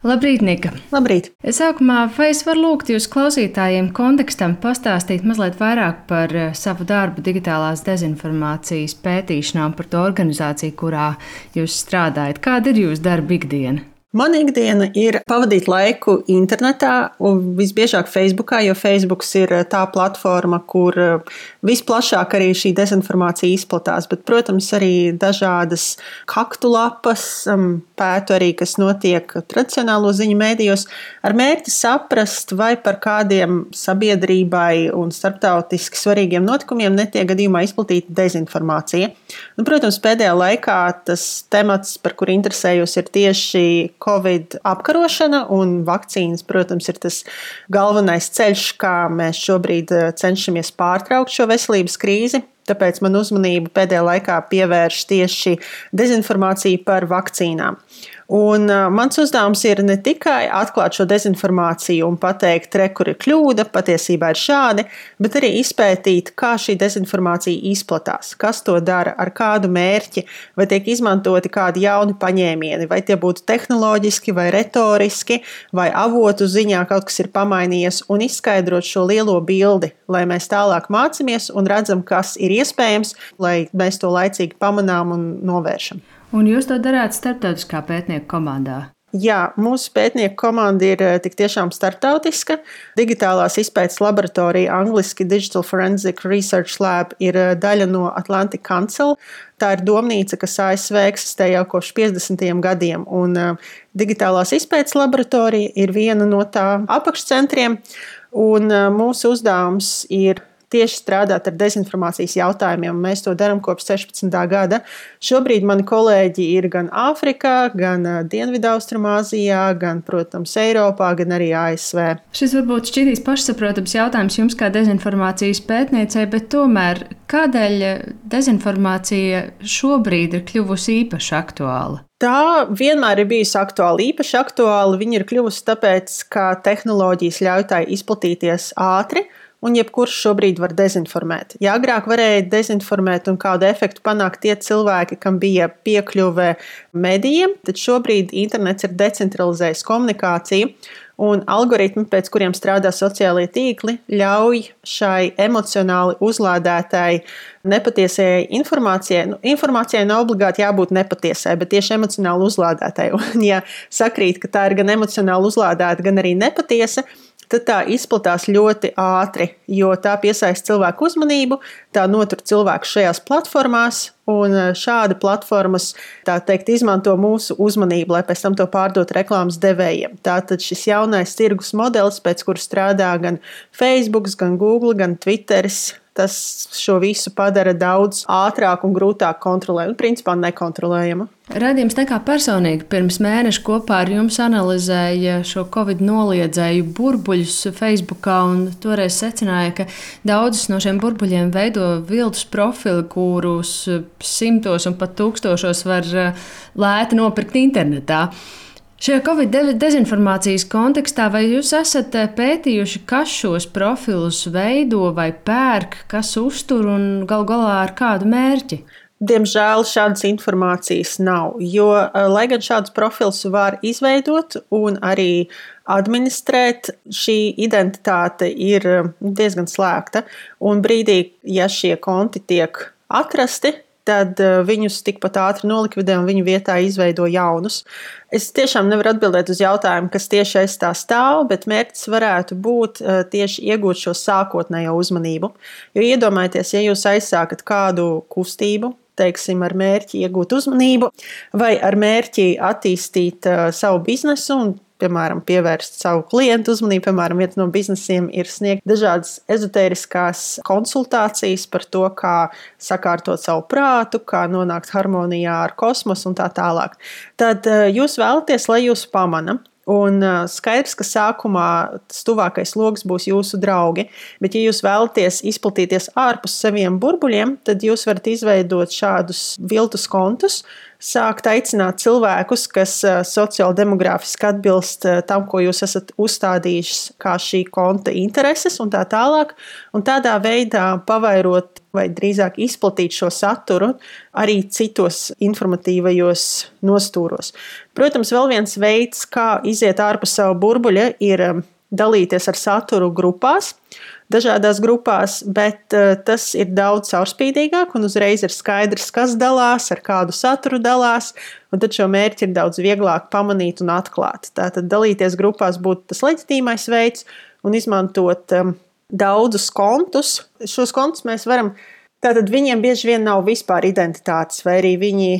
Labrīt, Nika! Labrīt! Sākumā, vai es varu lūgt jūs klausītājiem kontekstam pastāstīt mazliet vairāk par savu darbu digitālās dezinformācijas pētīšanā un par to organizāciju, kurā jūs strādājat? Kāda ir jūsu darba ikdiena? Mana ikdiena ir pavadīt laiku internetā, un visbiežāk Facebookā, jo Facebooks ir tā platforma, kur visplašāk arī šī dezinformācija izplatās. Bet, protams, arī dažādas kaktu lapas, pētu arī, kas notiek tradicionālo ziņu mēdījos, ar mērķi saprast, vai par kādiem sabiedrībai un starptautiski svarīgiem notikumiem netiek gadījumā izplatīta dezinformācija. Un, protams, pēdējā laikā tas temats, par kuru interesējos, ir tieši Covid apkarošana, un vakcīnas, protams, ir tas galvenais ceļš, kā mēs šobrīd cenšamies pārtraukt šo veselības krīzi. Tāpēc man uzmanību pēdējā laikā pievērš tieši dezinformācija par vakcīnām. Un mans uzdevums ir ne tikai atklāt šo dezinformāciju un pateikt, kur ir kļūda, patiesībā ir šādi, bet arī izpētīt, kā šī dezinformācija izplatās, kas to dara, ar kādu mērķi, vai tiek izmantoti kādi jauni paņēmieni, vai tie būtu tehnoloģiski vai retoriski, vai avotu ziņā kaut kas ir pamainījies, un izskaidrot šo lielo bildi, lai mēs tālāk mācāmies un redzam, kas ir iespējams, lai mēs to laicīgi pamanām un novēršam. Un jūs to darāt starptautiskā pētnieku komandā? Jā, mūsu pētnieku komanda ir tik tiešām starptautiska. Digitālās izpētes laboratorija, angliski Digital Forensic Research Lab, ir daļa no Atlantic Council. Tā ir domnīca, kas ASV eksistē jau kopš 50. gadiem, un digitālās izpētes laboratorija ir viena no tā apakšcentriem, un mūsu uzdevums ir tieši strādāt ar dezinformācijas jautājumiem. Mēs to darām kopš 16. gada. Šobrīd mani kolēģi ir gan Āfrikā, gan Dienvidaustrumāzijā, gan, protams, Eiropā, gan arī ASV. Šis varbūt šķitīs pašsaprotams jautājums jums kā dezinformācijas pētniecei, bet tomēr kādēļ dezinformācija šobrīd ir kļuvusi īpaši aktuāla? Tā vienmēr ir bijusi aktuāla. Īpaši aktuāla viņa ir kļuvusi tāpēc, ka tehnoloģijas ļauj tai izplatīties ātri, un jebkurš šobrīd var dezinformēt. Ja agrāk varēja dezinformēt un kādu efektu panākt tie cilvēki, kam bija piekļuve medijiem, tad šobrīd internets ir decentralizējis komunikāciju, un algoritmi, pēc kuriem strādā sociālie tīkli, ļauj šai emocionāli uzlādētai nepatiesai informācijai. Informācijai nav obligāti jābūt nepatiesai, bet tieši emocionāli uzlādētai. Un ja sakrīt, ka tā ir gan emocionāli uzlādēta, gan arī nepatiesa, tad tā izplatās ļoti ātri, jo tā piesaista cilvēku uzmanību, tā notur cilvēku šajās platformās, un šādi platformas, tā teikt, izmanto mūsu uzmanību, lai pēc tam to pārdot reklāmas devējiem. Tātad šis jaunais tirgus modelis, pēc kura strādā gan Facebook, gan Google, gan Twitteris, tas šo visu padara daudz ātrāk un grūtāk kontrolēt, un principā nekontrolējama. Radījums nekā personīgi pirms mēneša kopā ar jums analizēja šo Covid noliedzēju burbuļus Facebookā, un toreiz secināja, ka daudzus no šiem burbuļiem veido viltus profili, kurus simtos un pat tūkstošos var lēti nopirkt internetā. Šajā Covid dezinformācijas kontekstā vai jūs esat pētījuši, kas šos profilus veido vai pērk, kas uztur un galu galā ar kādu mērķi? Diemžēl šādas informācijas nav, jo, lai gan šādus profilus var izveidot un arī administrēt, šī identitāte ir diezgan slēgta. Un brīdī, ja šie konti tiek atrasti, tad viņus tikpat ātri nolikvidē un viņu vietā izveido jaunus. Es tiešām nevaru atbildēt uz jautājumu, kas tieši aiz tā stāv, bet mērķis varētu būt tieši iegūt šo sākotnējo uzmanību. Jo iedomājieties, ja jūs aizsākat kādu kustību, teiksim, ar mērķi iegūt uzmanību vai ar mērķi attīstīt savu biznesu un, piemēram, pievērst savu klientu uzmanību. Piemēram, viens no biznesiem ir sniegt dažādas ezotēriskās konsultācijas par to, kā sakārtot savu prātu, kā nonākt harmonijā ar kosmosu un tā tālāk. Tad jūs vēlaties, lai jūs pamana. Un skaidrs, ka sākumā tas tuvākais loks būs jūsu draugi, bet ja jūs vēlaties izplatīties ārpus saviem burbuļiem, tad jūs varat izveidot šādus viltus kontus, sākt aicināt cilvēkus, kas sociāldemogrāfiski atbilst tam, ko jūs esat uzstādījuši kā šī konta intereses un tā tālāk, un tādā veidā pavairot vai drīzāk izplatīt šo saturu arī citos informatīvajos nostūros. Protams, vēl viens veids, kā iziet ārpus savu burbuļa, ir dalīties ar saturu grupās, dažādās grupās, bet tas ir daudz caurspīdīgāk un uzreiz ir skaidrs, kas dalās, ar kādu saturu dalās, un tad šo mērķi ir daudz vieglāk pamanīt un atklāt. Tātad dalīties grupās būtu tas leģitīmais veids un izmantot daudzus kontus. Šos kontus mēs varam, tātad viņiem bieži vien nav vispār identitātes, vai arī viņi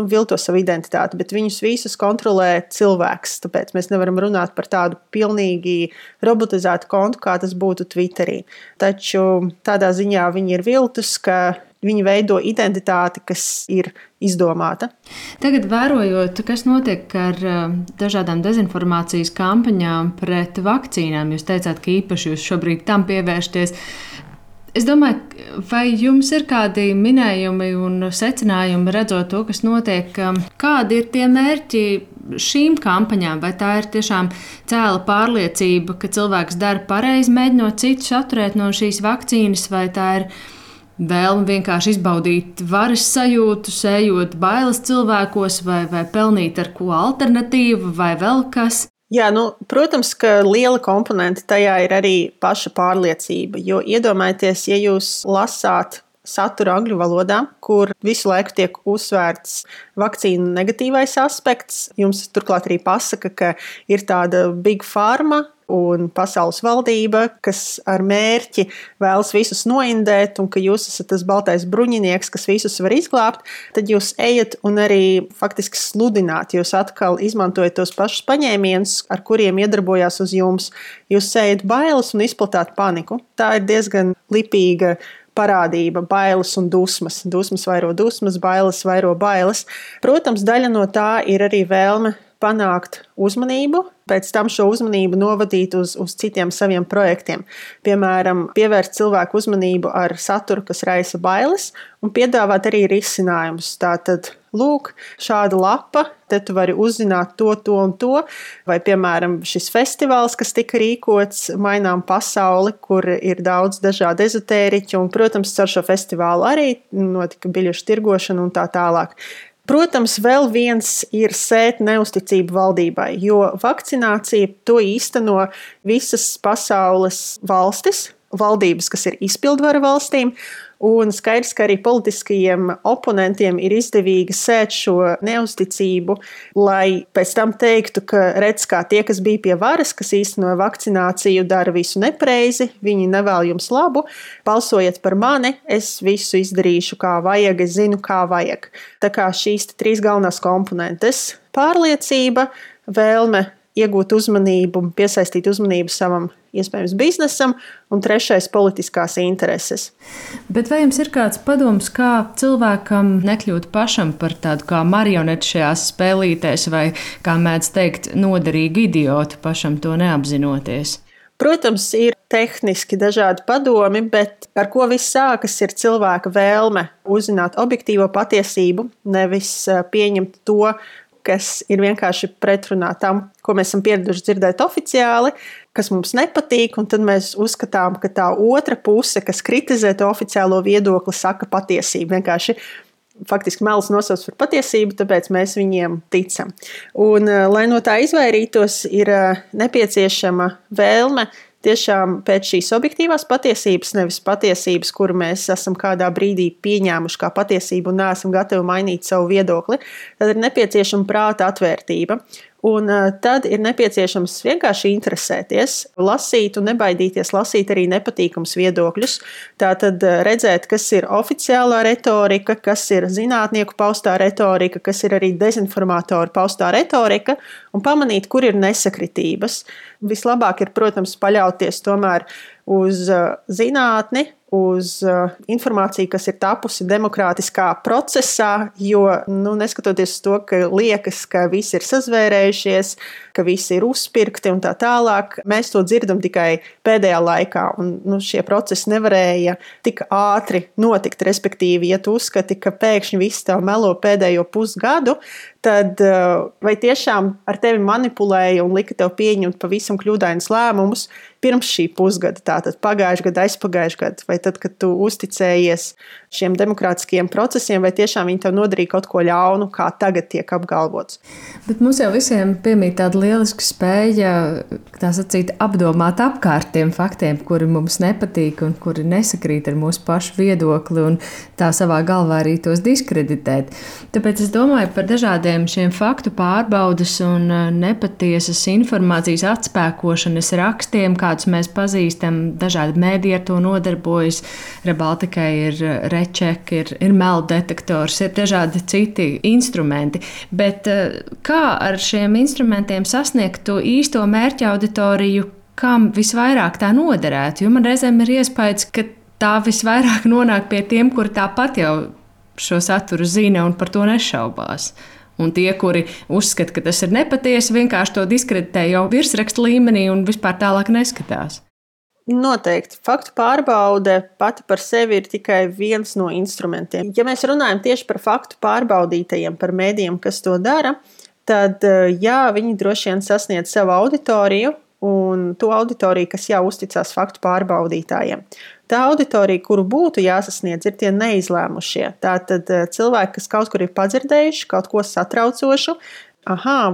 vilto savu identitāti, bet viņus visus kontrolē cilvēks. Tāpēc mēs nevaram runāt par tādu pilnīgi robotizētu kontu, kā tas būtu Twitterī. Taču tādā ziņā viņi ir viltus, ka viņi veido identitāti, kas ir izdomāta. Tagad vērojot, kas notiek ar dažādām dezinformācijas kampaņām pret vakcīnām, jūs teicāt, ka īpaši jūs šobrīd tam pievēršaties. Es domāju, vai jums ir kādi minējumi un secinājumi redzot to, kas notiek, kādi ir tie mērķi šīm kampaņām? Vai tā ir tiešām cēla pārliecība, ka cilvēks dara pareizi, mēģinot citus atturēt no šīs vakcīnas, vai tā ir vēlme vienkārši izbaudīt varas sajūtu, sējot bailes cilvēkos, vai pelnīt ar ko alternatīvu, vai vēl kas? Jā, protams, ka liela komponente tajā ir arī paša pārliecība, jo iedomājieties, ja jūs lasāt saturu angļu valodā, kur visu laiku tiek uzsvērts vakcīnu negatīvais aspekts, jums turklāt arī pasaka, ka ir tāda big pharma un pasaules valdība, kas ar mērķi vēlas visus noindēt un ka jūs esat tas baltais bruņinieks, kas visus var izglābt, tad jūs ejat un arī faktiski sludināt. Jūs atkal izmantojat tos pašus paņēmienus, ar kuriem iedarbojās uz jums. Jūs sējat bailes un izplatāt paniku. Tā ir diezgan lipīga parādība, bailes un dusmas. Dusmas vairo dusmas, bailes vairo bailes. Protams, daļa no tā ir arī vēlme panākt uzmanību, pēc tam šo uzmanību novadīt uz citiem saviem projektiem. Piemēram, pievērst cilvēku uzmanību ar saturu, kas raisa bailes, un piedāvāt arī risinājumus. Tātad, lūk, šāda lapa, te tu vari uzzināt to un to, vai, piemēram, šis festivāls, kas tika rīkots Mainām pasauli, kur ir daudz dažādu ezotēriķu, un, protams, ar šo festivālu arī notika biļešu tirgošana un tā tālāk. Protams, vēl viens ir sēt neusticību valdībai, jo vakcinācija to īsteno visas pasaules valstis, valdības, kas ir izpildvara valstīm, un skaidrs, ka arī politiskajiem oponentiem ir izdevīgi sēt šo neusticību, lai pēc tam teiktu, ka redz, kā tie, kas bija pie varas, kas īstenoja vakcināciju, dara visu nepareizi, viņi nevēl jums labu, balsojiet par mani, es visu izdarīšu kā vajag, es zinu, kā vajag. Tā kā šīs 3 galvenās komponentes – pārliecība, vēlme iegūt uzmanību, piesaistīt uzmanību savam iespējams biznesam, un 3. politiskās intereses. Bet vai jums ir kāds padoms, kā cilvēkam nekļūt pašam par tādu kā marioneti šajās spēlītēs, vai, kā mēdz teikt, noderīgu idiotu, pašam to neapzinoties? Protams, ir tehniski dažādi padomi, bet ar ko viss sākas ir cilvēka vēlme uzzināt objektīvo patiesību, nevis pieņemt to, kas ir vienkārši pretrunā tam, ko mēs esam pieraduši dzirdēt oficiāli, kas mums nepatīk, un tad mēs uzskatām, ka tā otra puse, kas kritizē to oficiālo viedokli, saka patiesību. Vienkārši faktiski melis nosauc par patiesību, tāpēc mēs viņiem ticam. Un, lai no tā izvairītos, ir nepieciešama vēlme tiešām pēc šīs objektīvās patiesības, nevis patiesības, kuru mēs esam kādā brīdī pieņēmuši kā patiesību un neesam gatavi mainīt savu viedokli, tad ir nepieciešama prāta atvērtība. Un tad ir nepieciešams vienkārši interesēties, lasīt un nebaidīties lasīt arī nepatīkams viedokļus. Tātad redzēt, kas ir oficiālā retorika, kas ir zinātnieku paustā retorika, kas ir arī dezinformātoru paustā retorika, un pamanīt, kur ir nesakritības. Vislabāk ir, protams, paļauties tomēr uz zinātni, uz informāciju, kas ir tapusi demokrātiskā procesā, jo, neskatoties uz to, ka liekas, ka visi ir sazvērējušies, ka visi ir uzpirkti un tā tālāk, mēs to dzirdam tikai pēdējā laikā, un šie procesi nevarēja tik ātri notikt, respektīvi, ja tu uzskati, ka pēkšņi viss tev melo pēdējo pusgadu, tad vai tiešām ar tevi manipulēja un lika tev pieņemt pavisam kļūdainus lēmumus pirms šī pusgada, tātad pagājušajā gadā, aizpagājušajā gadā, vai tad, kad tu uzticējies šiem demokrātiskajiem procesiem, vai tiešām viņi tev nodarīja kaut ko ļaunu, kā tagad tiek apgalvots. Bet mums jau visiem piemīt tāda lieliska spēja, tā sacīt, apdomāt apkārt tiem faktiem, kuri mums nepatīk un kuri nesakrīt ar mūsu pašu viedokli un tā savā galvā arī tos diskreditēt. Tāpēc es domāju par dažādiem šiem faktu pārbaudes un nepatiesas informācijas atspēkošanas rakstiem, kādus mēs pazīstam, dažādi mēdī ar to nodarbojas. Rebaltikai ir reček, ir melddetektors, ir dažādi citi instrumenti. Bet kā ar šiem instrumentiem sasniegt to īsto mērķa auditoriju, kam visvairāk tā noderētu? Jo man reizēm ir iespējas, ka tā visvairāk nonāk pie tiem, kuri tāpat jau šo saturu zina un par to nešaubās. Un tie, kuri uzskata, ka tas ir nepatiesi, vienkārši to diskreditē jau virsrakstu līmenī un vispār tālāk neskatās. Noteikti. Faktu pārbaude pati par sevi ir tikai viens no instrumentiem. Ja mēs runājam tieši par faktu pārbaudītajiem, par mēdījiem, kas to dara, tad jā, viņi droši vien sasniedz savu auditoriju un to auditoriju, kas jau uzticās faktu pārbaudītājiem. Tā auditorija, kuru būtu jāsasniedz, ir tie neizlēmušie. Tātad cilvēki, kas kaut kur ir padzirdējuši kaut ko satraucošu,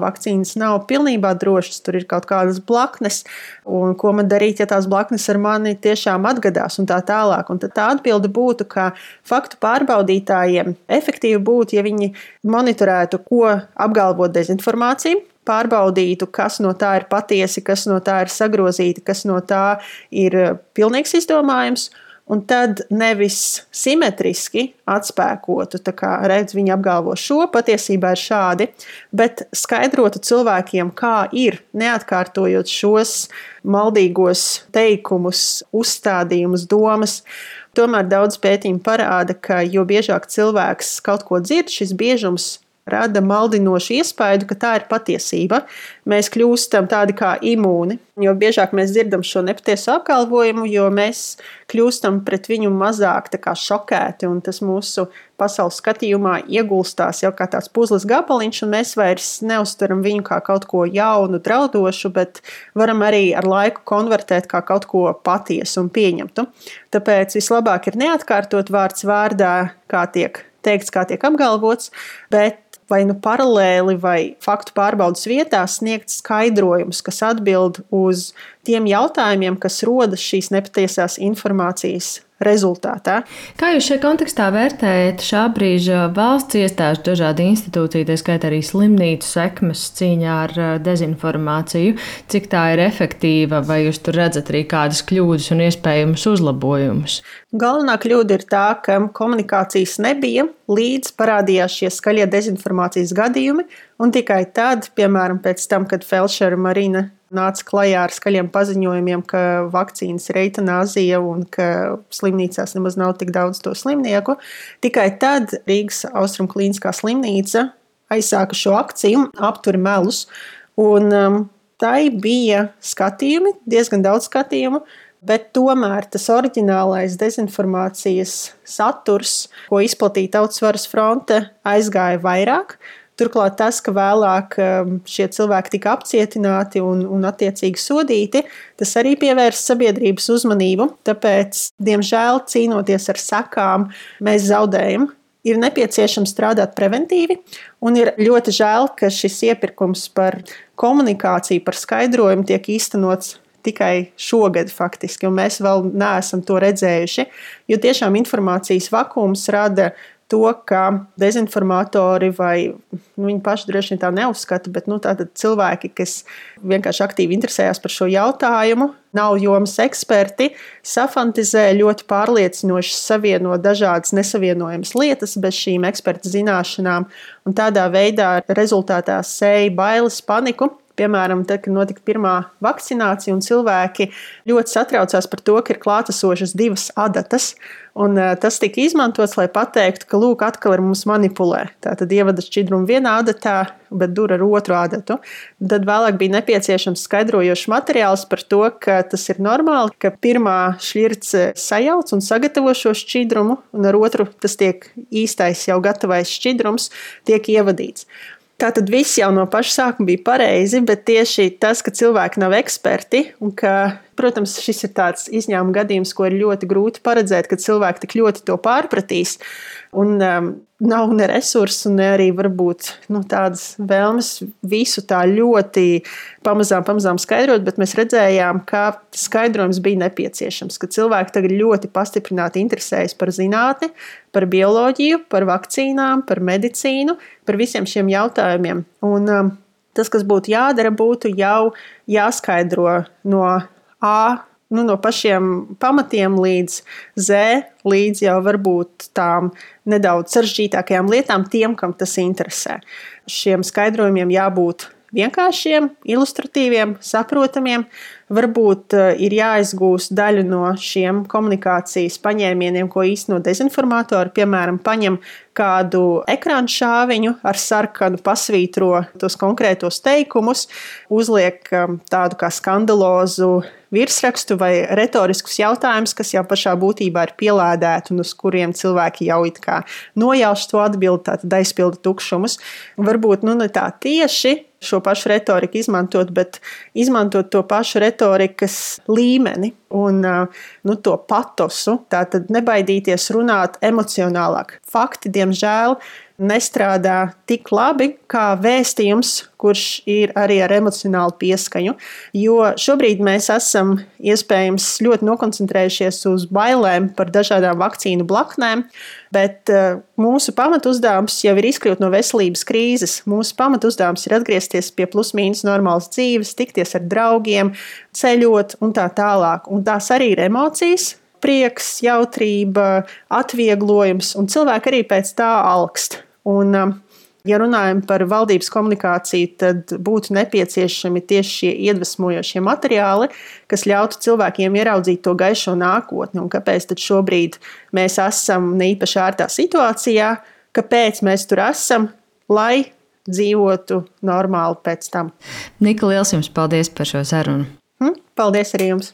vakcīnas nav pilnībā drošas, tur ir kaut kādas blaknes, un ko man darīt, ja tās blaknes ar mani tiešām atgadās un tā tālāk. Un tad tā atbilde būtu, ka faktu pārbaudītājiem efektīvi būtu, ja viņi monitorētu, ko apgalvo dezinformācija, pārbaudītu, kas no tā ir patiesi, kas no tā ir sagrozīti, kas no tā ir pilnīgs izdomājums, un tad nevis simetriski atspēkotu, tā kā redz, viņi apgalvo šo, patiesībā ir šādi, bet skaidrotu cilvēkiem, kā ir, neatkārtojot šos maldīgos teikumus, uzstādījumus, domas. Tomēr daudz pētījumu parāda, ka jo biežāk cilvēks kaut ko dzird, šis biežums rada maldinošu iespaidu, ka tā ir patiesība. Mēs kļūstam tādi kā imūni, jo biežāk mēs dzirdam šo nepatiesu apgalvojumu, jo mēs kļūstam pret viņu mazāk tā kā šokēti, un tas mūsu pasaules skatījumā iegulstās jau kā tāds puzles gabaliņš, un mēs vairs neuztveram viņu kā kaut ko jaunu, draudošu, bet varam arī ar laiku konvertēt kā kaut ko patiesu un pieņemtu. Tāpēc vislabāk ir neatkārtot vārds vārdā, kā tiek teikts, kā tiek apgalvots, bet vai nu paralēli vai faktu pārbaudas vietā sniegt skaidrojumus, kas atbild uz tiem jautājumiem, kas rodas šīs nepatiesās informācijas rezultātā. Kā jūs šajā kontekstā vērtējat šā brīža valsts iestāžu dažādu institūciju, tā skaitā arī slimnīcu sekmes cīņā ar dezinformāciju? Cik tā ir efektīva, vai jūs tur redzat arī kādas kļūdas un iespējamus uzlabojumus? Galvenā kļūda ir tā, ka komunikācijas nebija, līdz parādījās šie skaļie dezinformācijas gadījumi, un tikai tad, piemēram, pēc tam, kad Felšera Marina nāca klajā ar skaļiem paziņojumiem, ka vakcīnas ir eitanāzija un ka slimnīcās nemaz nav tik daudz to slimnieku, tikai tad Rīgas Austrumklīniskā slimnīca aizsāka šo akciju Apturi melus, un tai bija skatījumi, diezgan daudz skatījumu, bet tomēr tas oriģinālais dezinformācijas saturs, ko izplatīja Tautas varas fronte, aizgāja vairāk. Turklāt tas, ka vēlāk šie cilvēki tika apcietināti un attiecīgi sodīti, tas arī pievērsa sabiedrības uzmanību. Tāpēc, diemžēl, cīnoties ar sekām, mēs zaudējam. Ir nepieciešams strādāt preventīvi, un ir ļoti žēl, ka šis iepirkums par komunikāciju, par skaidrojumu tiek īstenots tikai šogad faktiski, un mēs vēl neesam to redzējuši, jo tiešām informācijas vakums rada to, ka dezinformatori vai viņi paši droši vien tā neuzskata, bet tātad cilvēki, kas vienkārši aktīvi interesējās par šo jautājumu, nav jomas eksperti, safantizē ļoti pārliecinoši, savieno dažādas nesavienojamas lietas bez šīm eksperta zināšanām, un tādā veidā rezultātā sēja bailes, paniku. Piemēram, tad, kad notika pirmā vakcinācija un cilvēki ļoti satraucās par to, ka ir klātesošas 2 adatas, un tas tika izmantots, lai pateiktu, ka lūk, atkal ar mums manipulē. Tātad ievada šķidrumu vienā adatā, bet dur ar otru adatu. Tad vēlāk bija nepieciešams skaidrojošs materiāls par to, ka tas ir normāli, ka pirmā šķirce sajauc un sagatavo šo šķidrumu, un ar otru tas tiek īstais jau gatavais šķidrums tiek ievadīts. Tātad viss jau no paša sākuma bija pareizi, bet tieši tas, ka cilvēki nav eksperti un ka, protams, šis ir tāds izņēmuma gadījums, ko ir ļoti grūti paredzēt, kad cilvēki tik ļoti to pārpratīs un nav ne resursu, ne arī varbūt tādas vēlmes visu tā ļoti pamazām skaidrot, bet mēs redzējām, ka skaidrojums bija nepieciešams, ka cilvēki tagad ļoti pastiprināti interesējas par zinātni, par bioloģiju, par vakcīnām, par medicīnu, par visiem šiem jautājumiem. Un tas, kas būtu jādara, būtu jau jāskaidro no A, no pašiem pamatiem līdz Z, līdz jau varbūt tām nedaudz sarežģītākajām lietām tiem, kam tas interesē. Šiem skaidrojumiem jābūt vienkāršiem, ilustratīviem, saprotamiem. Varbūt ir jāizgūst daļu no šiem komunikācijas paņēmieniem, ko īsteno dezinformatori. Piemēram, paņem kādu ekrāna šāviņu ar sarkanu, pasvītro tos konkrētos teikumus, uzliek tādu kā skandalozu virsrakstu vai retoriskus jautājumus, kas jau pašā būtībā ir pielādēti un uz kuriem cilvēki jau it kā nojauš to atbildi, tātad aizpilda tukšumus. Varbūt ne tā tieši šo pašu retoriku izmantot, bet izmantot to pašu retorikas līmeni un to patosu, tātad nebaidīties runāt emocionālāk. Fakti, diemžēl, nestrādā tik labi kā vēstījums, kurš ir arī ar emocionālu pieskaņu, jo šobrīd mēs esam iespējams ļoti nokoncentrējušies uz bailēm par dažādām vakcīnu blaknēm, bet mūsu pamatuzdevums jau ir izkļūt no veselības krīzes. Mūsu pamatuzdevums ir atgriezties pie plus-mínus normālas dzīves, tikties ar draugiem, ceļot un tā tālāk. Un tās arī ir emocijas, prieks, jautrība, atvieglojums, un cilvēki arī pēc tā alkst. Un, ja runājam par valdības komunikāciju, tad būtu nepieciešami tieši šie iedvesmojošie materiāli, kas ļautu cilvēkiem ieraudzīt to gaišo nākotni. Un kāpēc tad šobrīd mēs esam ne īpaši ērtā situācijā, kāpēc mēs tur esam, lai dzīvotu normāli pēc tam. Nika, liels jums paldies par šo sarunu. Paldies arī jums!